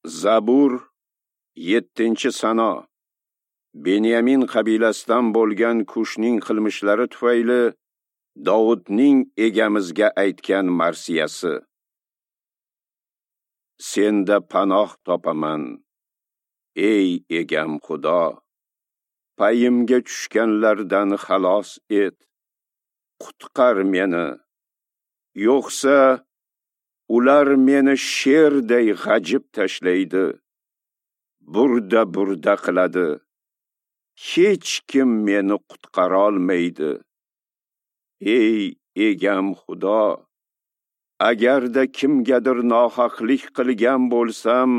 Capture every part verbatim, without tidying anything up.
Zabur yettinchi sano. Benyamin qabilasidan bo'lgan Kushning qilmishlari tufayli Dovudning egamizga aytgan marsiyasi. Senda panoh topaman, ey egam Xudo. Payimga tushganlardan xalos et. Qutqar meni. Yo'qsa ular meni sherday g'ajib tashlaydi. Burda-burda qiladi. Hech kim meni qutqara olmaydi. Ey egam Xudo, agarda kimgadir nohaqlik qilgan bo'lsam,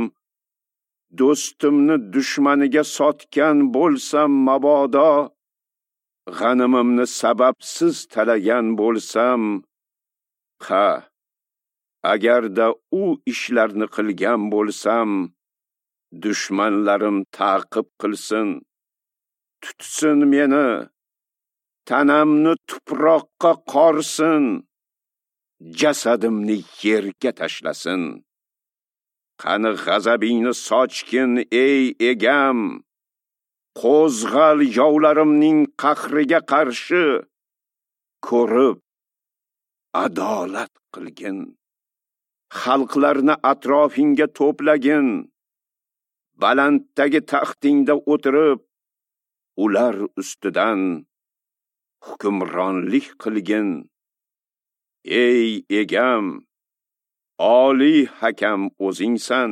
do'stimni dushmaniga sotgan bo'lsam mabodo, g'animimni sababsiz talagan bo'lsam, ha, agarda u ishlarni qilgan bo'lsam, dushmanlarim ta'qib qilsin, tutsin meni, tanamni tuproqqa qorsin, jasadimni yerga tashlasin. Qani g'azabingni sochgin, ey egam, qo'zg'al yovlarimning qahriga qarshi, ko'rib adolat qilgin. Xalqlarni atrofingga to'plagin, balanddagi taxtingda o'tirib, ular ustidan hukmronlik qilgin. Ey egam, oliy hakam o'zingsan.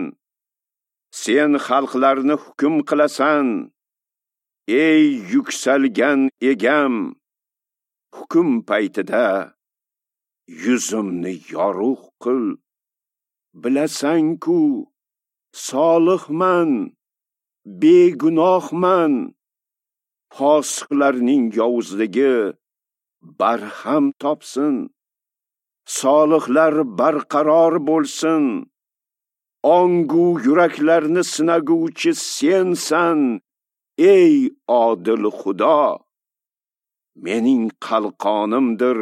Sen xalqlarni hukm qilasan. Ey yuksalgan egam, hukm paytida yuzimni yorug' qil. Bilasan-ku, solihman, begunohman. Fosiqlarning yovuzligi barham topsin. Solihlar barqaror bo'lsin. Ongu yuraklarni sinaguvchi sensan, ey odil Xudo. Mening qalqonimdir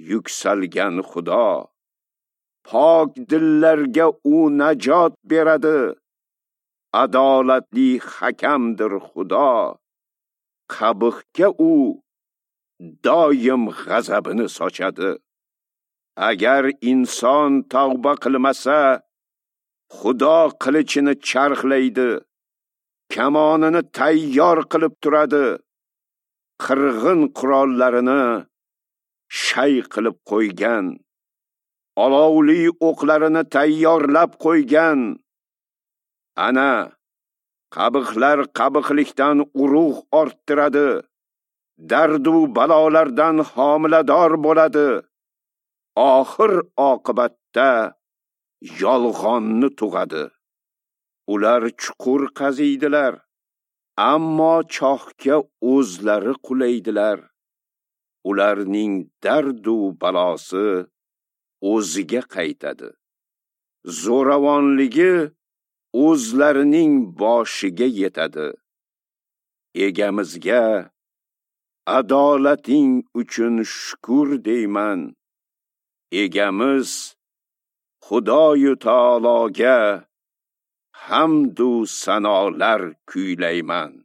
yuksalgan Xudo. Pok dillarga u najot beradi. Adolatli hakamdir Xudo. Qabihga u doim g'azabini sochadi. Agar inson tavba qilmasa, Xudo qilichini charxlaydi, kamonini tayyor qilib turadi, qirg'in qurollarini shay qilib qo'ygan, olovli o'qlarini tayyorlab qo'ygan. Ana, qabihlar qabihlikdan urug' orttiradi, dardu balolardan homilador bo'ladi. Oxir oqibatda yolg'onni tug'adi. Ular chuqur qaziydilar, ammo chohga o'zlari qulaydilar. Ularning dardu balosi o'ziga qaytadi. Zo'ravonligi o'zlarining boshiga yetadi. Egamizga adolating uchun shukr deyman. Egamiz Xudoyu taologa hamdu sanolar kuylayman.